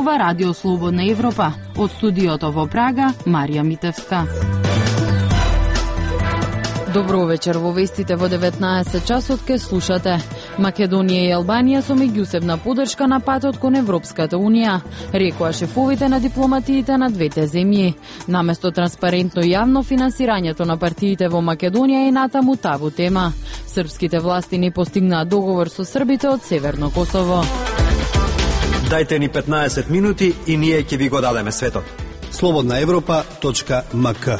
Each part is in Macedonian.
Ова Радио Слободна Европа. Од студиото во Прага, Марија Митевска. Добро вечер, во вестите во 19 часот ке слушате. Македонија и Албанија со меѓусебна поддршка на патот кон Европската Унија, рекоа шефовите на дипломатиите на двете земји. Наместо транспарентно и јавно финансирањето на партиите во Македонија е натаму табу тема. Српските власти не постигнаа договор со србите од Северно Косово. Дајте ни 15 минути и ние ќе ви го дадеме светот. slobodnaevropa.mk.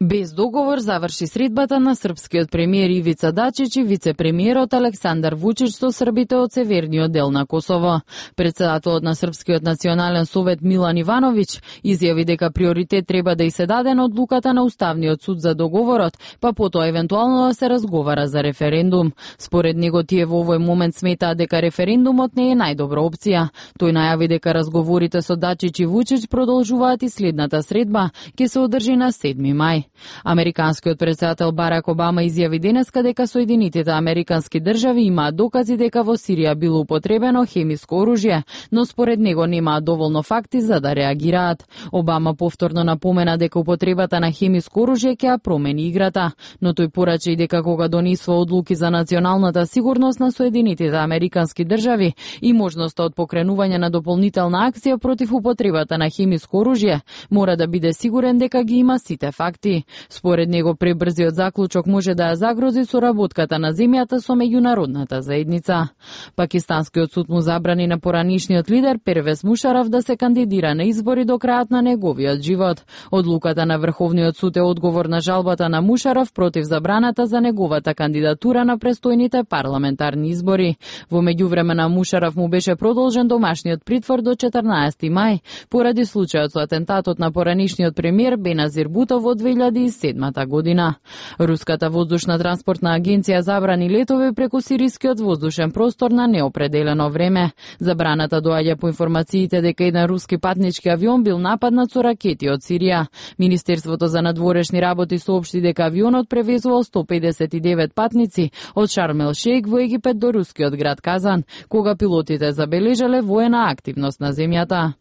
Без договор заврши средбата на српскиот премиер Ивица Дачич и вице-премиерот Александар Вучич со србите од северниот дел на Косово. Председателот на Српскиот национален совет Милан Ивановиќ изјави дека приоритет треба да и се даде на одлуката на Уставниот суд за договорот, па потоа евентуално да се разговара за референдум. Според него тие во овој момент сметаат дека референдумот не е најдобра опција. Тој најави дека разговорите со Дачич и Вучич продолжуваат и следната средба ќе се одржи на 7 мај. Американскиот председател Барак Обама изјави денеска дека Соединетите Американски држави имаат докази дека во Сирија било употребено хемиско оружје, но според него немаат доволно факти за да реагираат. Обама повторно напомена дека употребата на хемиско оружје ќе ја промени играта, но тој порача и дека кога донесува одлуки за националната сигурност на Соединетите Американски држави и можноста од покренување на дополнителна акција против употребата на хемиско оружје, мора да биде сигурен дека ги има сите факти. Според него пребрзиот заклучок може да ја загрози соработката на земјата со меѓународната заедница. Пакистанскиот суд му забрани на поранишниот лидер Первез Мушараф да се кандидира на избори до крајот на неговиот живот. Одлуката на Врховниот суд е одговор на жалбата на Мушараф против забраната за неговата кандидатура на престојните парламентарни избори. Во меѓувреме Мушараф му беше продолжен домашниот притвор до 14 мај поради случајот со атентатот на поранишниот премиер Беназир Бутов во 2007 година. Руската воздушна транспортна агенција забрани летови преку сирискиот воздушен простор на неопределено време. Забраната доаѓа по информациите дека еден руски патнички авион бил нападнат со ракети од Сирија. Министерството за надворешни работи соопшти дека авионот превезувал 159 патници од Шарм ел Шејх во Египет до рускиот град Казан, кога пилотите забележале воена активност на земјата.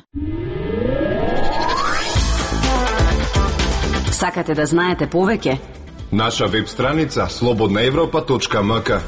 Сакате да знаете повеќе? Наша веб страница slobodnaevropa.mk.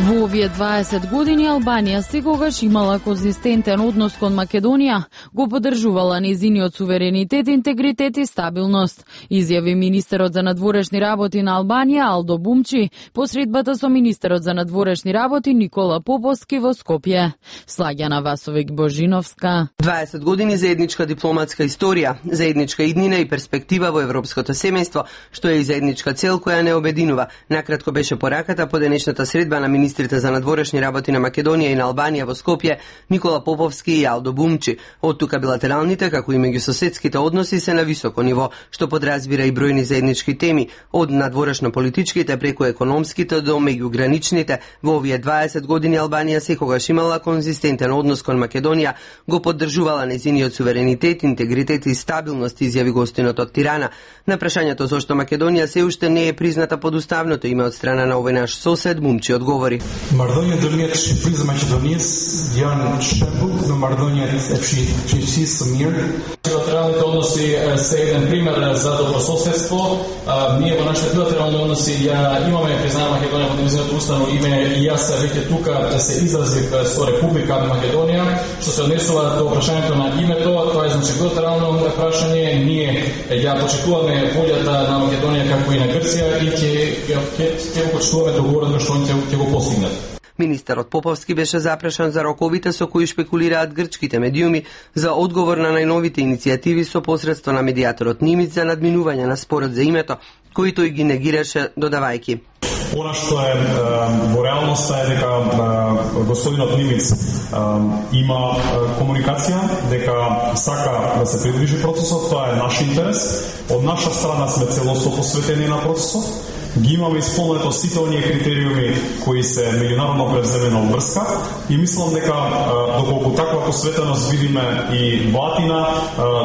Во овие 20 години Албанија секогаш имала конзистентен однос кон Македонија, го поддржувала нејзиниот суверенитет, интегритет и стабилност, изјави министерот за надворешни работи на Албанија Алдо Бумчи по средбата со министерот за надворешни работи Никола Поповски во Скопје. Слагјана Васовик Божиновска. 20 години заедничка дипломатска историја, заедничка иднина и перспектива во европското семејство, што е и заедничка цел која не обединува. Накратко беше пораката по денешната средба на министрите за надворешни работи на Македонија и на Албанија во Скопје, Никола Поповски и Алдо Бумчи. Од тука билатералните, како и меѓусоседските односи се на високо ниво, што подразбира и бројни заеднички теми, од надворешно-политичките преку економските до меѓуграничните. Во овие 20 години Албанија секогаш имала конзистентен однос кон Македонија, го поддржувала нејзиниот суверенитет, интегритет и стабилност, изјави гостинот од Тирана. На прашањето зошто Македонија се уште не е призната под уставното име од страна на овој наш сосед, Бумчи одговори. Marrëdhënia ndërmjet Shqipërisë dhe Maqedonisë janë shembull në marrëdhëniet e qeverisë së mirë. Bilateralni odnosi se jedan primer za dobrosusjedstvo. Ние во нашите билатерални односи имаме признание Македонија под нејзиното уставно име и јас веќе тука се изразив со Република Македонија. Што се однесува до прашањето на името, тоа е значи билатерално прашање. Ние ја почитуваме волјата на Македонија како и на Грција и ќе го почитуваме договорот што ќе го постигнат. Министерот Поповски беше запрашан за роковите со кои шпекулираат грчките медиуми за одговор на најновите иницијативи со посредство на медијаторот Нимиц за надминување на спорот за името, кои тој ги негираше додавајки. Она што е во реалноста е дека господинот Нимиц има комуникација, дека сака да се придвижи процесот, тоа е наш интерес. Од наша страна сме целосно посветени на процесот ги имаме исполнето сите оние критериуми кои се меѓународно превземена обврска и мислам дека доколку таква посветеност видиме и Владина,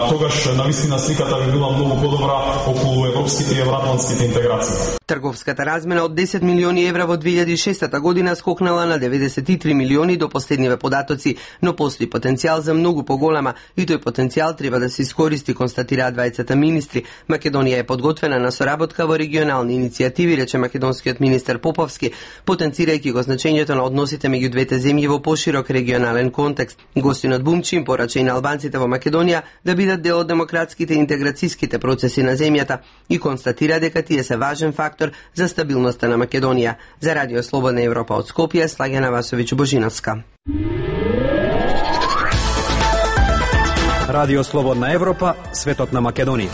тогаш навистина сликата би била многу подобра околу европските и евроатлантските интеграции. Трговската размена од 10 милиони евра во 2006 година скокнала на 93 милиони до последниве податоци, но постои потенцијал за многу поголема и тој потенцијал треба да се искористи, констатираат двајцата министри. Македонија е подготвена на соработка во регионални иницијативи, рече македонскиот министер Поповски, потенцирајќи го значењето на односите меѓу двете земји во поширок регионален контекст. Гостинот Бумчи им порача и на албанците во Македонија да бидат дел од демократските и интеграцијските процеси на земјата и констатира дека тие се важен фактор за стабилноста на Македонија. За Радио Слободна Европа од Скопје, Слагена Васовиќ Божиновска. Радио Слободна Европа, светот на Македонија.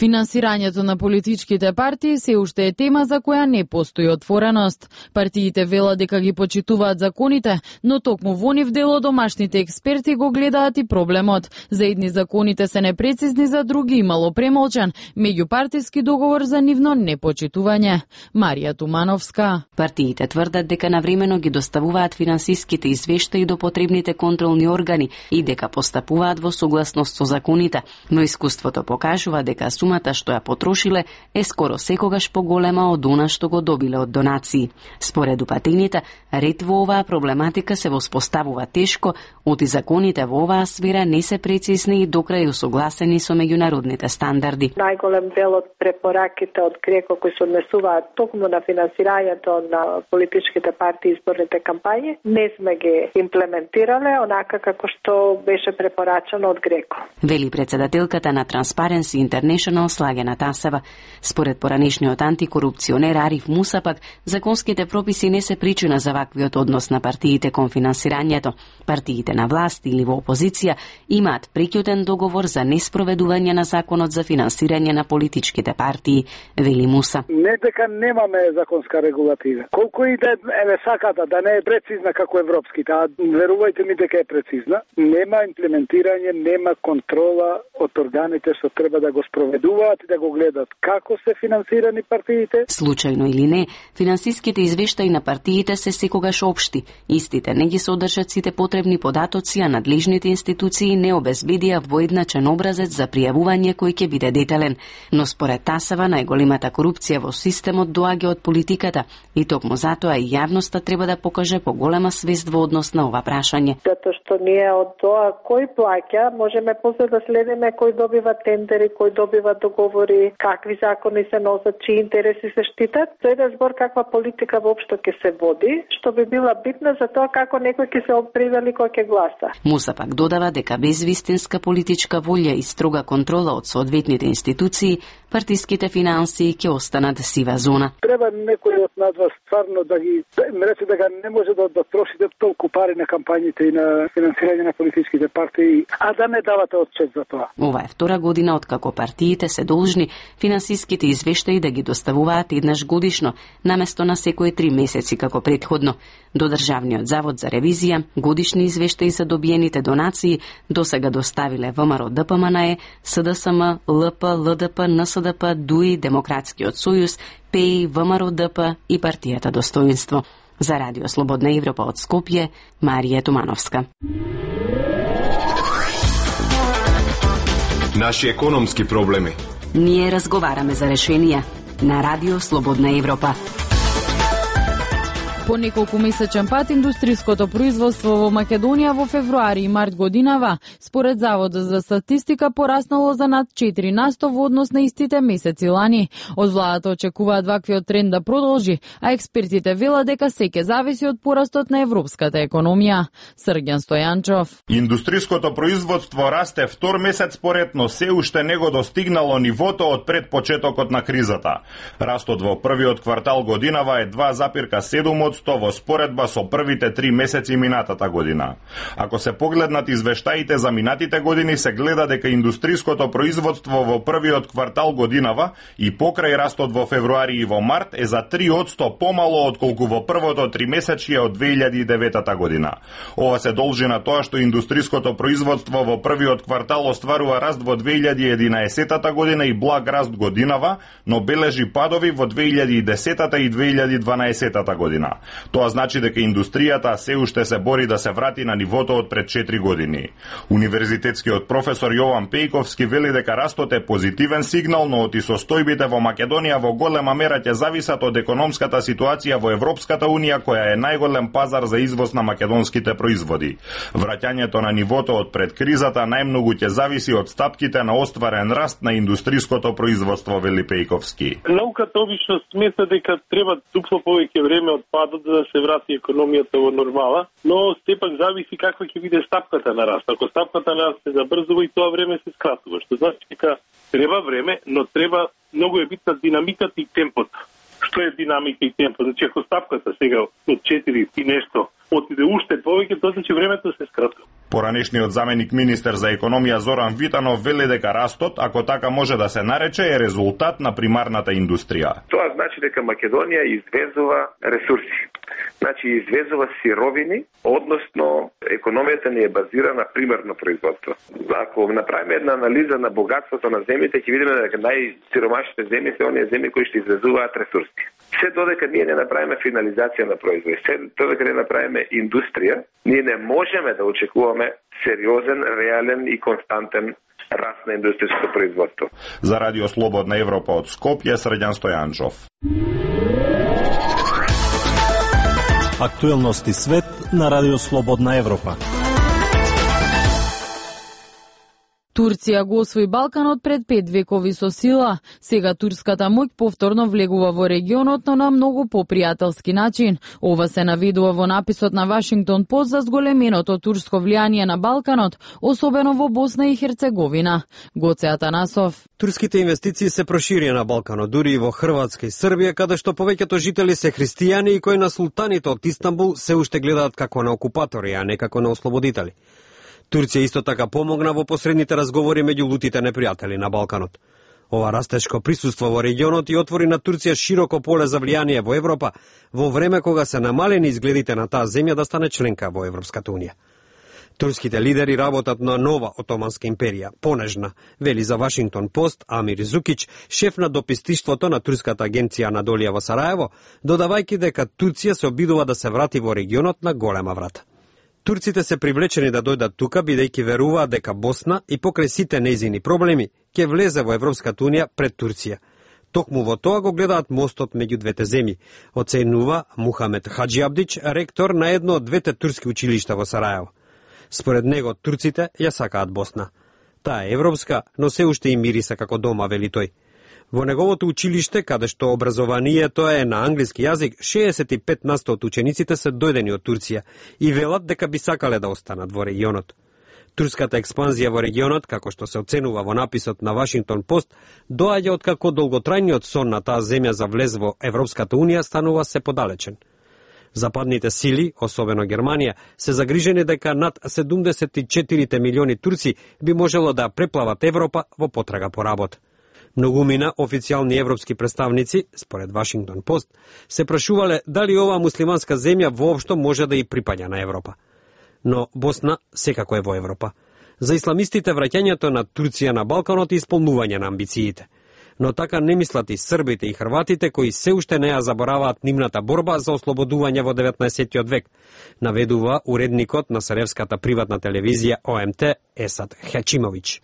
Финансирањето на политичките партии се уште е тема за која не постои отвореност. Партиите велат дека ги почитуваат законите, но токму во нив дел од домашните експерти го гледаат и проблемот. За едни законите се непрецизни, за други имало премолчан меѓупартиски договор за нивно непочитување. Марија Тумановска. Партиите тврдат дека навремено ги доставуваат финансиските извештаи до потребните контролни органи и дека постапуваат во согласност со законите, но искуството покажува дека сумата што ја потрошиле е скоро секогаш поголема од она што го добиле од донации. Според упатените, ред во оваа проблематика се воспоставува тешко, оти законите во оваа сфера не се прецизни и докрај усогласени со меѓународните стандарди. Најголем дел од препораките од ГРЕКО кои се однесуваат токму на финансирањето на политичките партии и изборните кампањи, не сме ги имплементирале онака како што беше препорачано од ГРЕКО. Вели председателката на Transparency International Слагена Тасева. Според поранешниот антикорупционер Ариф Муса пак, законските прописи не се причина за ваквиот однос на партиите кон финансирањето. Партиите на власт или во опозиција имаат преќутен договор за неспроведување на законот за финансирање на политичките партии, вели Муса. Не дека немаме законска регулатива. Колку и да е саката да не е прецизна како европските, а верувајте ми дека е прецизна, нема имплементирање, нема контрола од органите што треба да го спроведуваат и да го гледат како се финансирани партиите. Случајно или не, финансиските извештаи на партиите се секогаш општи. Истите не ги содржат сите потребни податоци, а надлежните институции не обезбедија воедначен образец за пријавување кој ќе биде детален. Но според Тасева најголемата корупција во системот доаѓа од политиката и токму затоа и јавноста треба да покаже поголема свест во однос на ова прашање. Затоа што ние од тоа кој плаќа, можеме после да следиме кој добива тендери, кој добива договори, какви закони се носат, чии интереси се штитат. Тоа е збор каква политика воопшто ќе се води, што би била битна за тоа како некој ќе се опривели кој ќе гласа. Муса пак додава дека без вистинска политичка волја и строга контрола од соодветните институции, партиските финансии ќе останат сива зона. Треба некој од нас стварно да ги рече дека не може да трошите толку пари на кампањите и на финансирање на политичките партии, а да не давате отчет за тоа. Ова е втора година откако партиите се должни финансиските извештаи да ги доставуваат еднаш годишно, наместо на секои 3 месеци како претходно. До Државниот завод за ревизија годишни извештаи за добиените донации досега доставиле ВМРО ДПМНЕ, СДСМ, ЛП, ЛДП, НСДП, ДУИ, Демократскиот сојуз, ПЕИ, ВМРО ДП и партијата Достоинство. За Радио Слободна Европа од Скопје, Марија Тумановска. Наши економски проблеми. Ние разговараме за решенија на Радио Слободна Европа. По неколку месечен пат индустриското производство во Македонија во февруари и март годинава, според Заводот за статистика, пораснало за над 4% во однос на истите месеци лани. Од владата очекуваат ваквиот тренд да продолжи, а експертите велат дека се ќе зависи од порастот на европската економија. Срѓан Стојанчов. Индустриското производство расте втор месец поред, но се уште не го достигнало нивото од пред почетокот на кризата. Растот во првиот квартал годинава е 2,7 3% во споредба со првите 3 месеци минатата година. Ако се погледнат извештаите за минатите години, се гледа дека индустриското производство во првиот квартал годинава и покрај растот во февруари и во март е за 3% помало отколку во првото 3-месечје од 2009 година. Ова се должи на тоа што индустриското производство во првиот квартал остварува раст во 2011 година и благ раст годинава, но бележи падови во 2010 и 2012 година. Тоа значи дека индустријата се уште се бори да се врати на нивото од пред 4 години. Универзитетскиот професор Јован Пејковски вели дека растот е позитивен сигнал, но оти состојбите во Македонија во голема мера ќе зависат од економската ситуација во Европската унија, која е најголем пазар за извоз на македонските производи. Враќањето на нивото од пред кризата најмногу ќе зависи од стапките на остварен раст на индустриското производство, вели Пејковски. Науката обично смета дека треба дупло повеќе време од падот за да се врати економијата во нормала, но сепак зависи каква ќе биде стапката на раст. Ако стапката на раст се забрзува и тоа време се скратува, што значи дека треба време, но треба многу е битна динамиката и темпото. Што е динамика и темпо? Значи ако стапката сега од 4 и нешто отиде уште повеќе, тоа значи времето се скратува. Поранешниот заменик министер за економија Зоран Витанов вели дека растот, ако така може да се нарече, е резултат на примарната индустрија. Тоа значи дека Македонија извезува ресурси. Значи извезува сировини, односно економијата ни е базирана на примерно производство. Ако направиме една анализа на богатството на земјите, ќе видиме дека најсиромашните земји се оние земји кои што извезуваат ресурси. Се додека ние не направиме финализација на производи, се додека не направиме индустрија, ние не можеме да очекуваме сериозен, реален и константен раст на индустријското производство. За Радио Слободна Европа од Скопје, Срđan Стојанчов. Актуелности свет на Радио Слободна Европа. Турција го освои Балканот пред 5 векови со сила. Сега турската моќ повторно влегува во регионот, но на многу попријателски начин. Ова се наведува во написот на Вашингтон Пост за зголеменото турско влијание на Балканот, особено во Босна и Херцеговина. Гоце Атанасов. Турските инвестиции се проширија на Балканот, дури и во Хрватска и Србија, каде што повеќето жители се христијани и кои на султаните од Истанбул се уште гледаат како на окупатори, а не како на ослободители. Турција исто така помогна во посредните разговори меѓу лутите непријатели на Балканот. Ова растешко присуство во регионот и отвори на Турција широко поле за влијание во Европа, во време кога се намалени изгледите на таа земја да стане членка во Европската унија. Турските лидери работат на нова отоманска империја, понежна, вели за Вашингтон Пост Амир Зукич, шеф на допистиштвото на турската агенција Анадолија во Сараево, додавајќи дека Турција се обидува да се врати во регионот на голема врата. Турците се привлечени да дојдат тука, бидејќи веруваат дека Босна и покрај сите нејзини проблеми ќе влезе во Европската унија пред Турција. Токму во тоа го гледаат мостот меѓу двете земји, оценува Мухамед Хаджиабдич, ректор на едно од двете турски училишта во Сараево. Според него, турците ја сакаат Босна. Таа е европска, но се уште и мириса како дома, вели тој. Во неговото училиште, каде што образованието е на англиски јазик, 65% од учениците се дојдени од Турција и велат дека би сакале да останат во регионот. Турската експанзија во регионот, како што се оценува во написот на Вашингтон Пост, доаѓа од како долготрајниот сон на таа земја за влез во Европската унија станува се подалечен. Западните сили, особено Германија, се загрижени дека над 74 милиони турци би можело да преплават Европа во потрага по работа. Многумина официјални европски представници, според Вашингтон Пост, се прашувале дали оваа муслиманска земја воопшто може да и припаѓа на Европа. Но Босна секако е во Европа. За исламистите враќањето на Турција на Балканот е исполнување на амбициите. Но така не мислат и србите и хрватите кои се уште не ја забораваат нивната борба за ослободување во 19. век, наведува уредникот на сараевската приватна телевизија ОМТ Есад Хачимовиќ.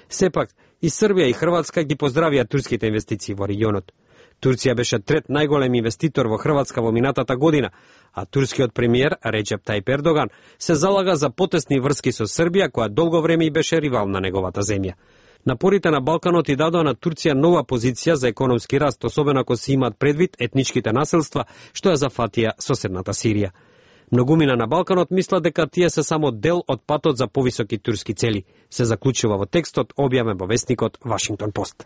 Сепак, и Србија и Хрватска ги поздравија турските инвестиции во регионот. Турција беше трет најголем инвеститор во Хрватска во минатата година, а турскиот премиер Реджеп Тајип Ердоган се залага за потесни врски со Србија, која долго време и беше ривал на неговата земја. Напорите на Балканот и дадоа на Турција нова позиција за економски раст, особено ако се имаат предвид етничките населства што ја зафатија соседната Сирија. Многумина на Балканот мислат дека тие се само дел од патот за повисоки турски цели, се заклучува во текстот објавен во весникот Вашингтон Пост.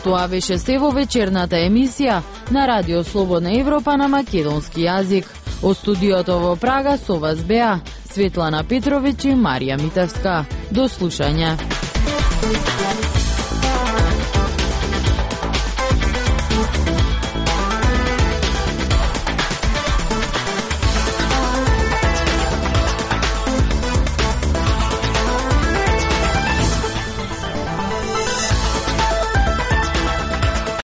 Тоа беше се во вечерната емисија на Радио Слободна Европа на македонски јазик. Од студиото во Прага со вас беа Светлана Петровиќ и Марија Митевска. До слушање.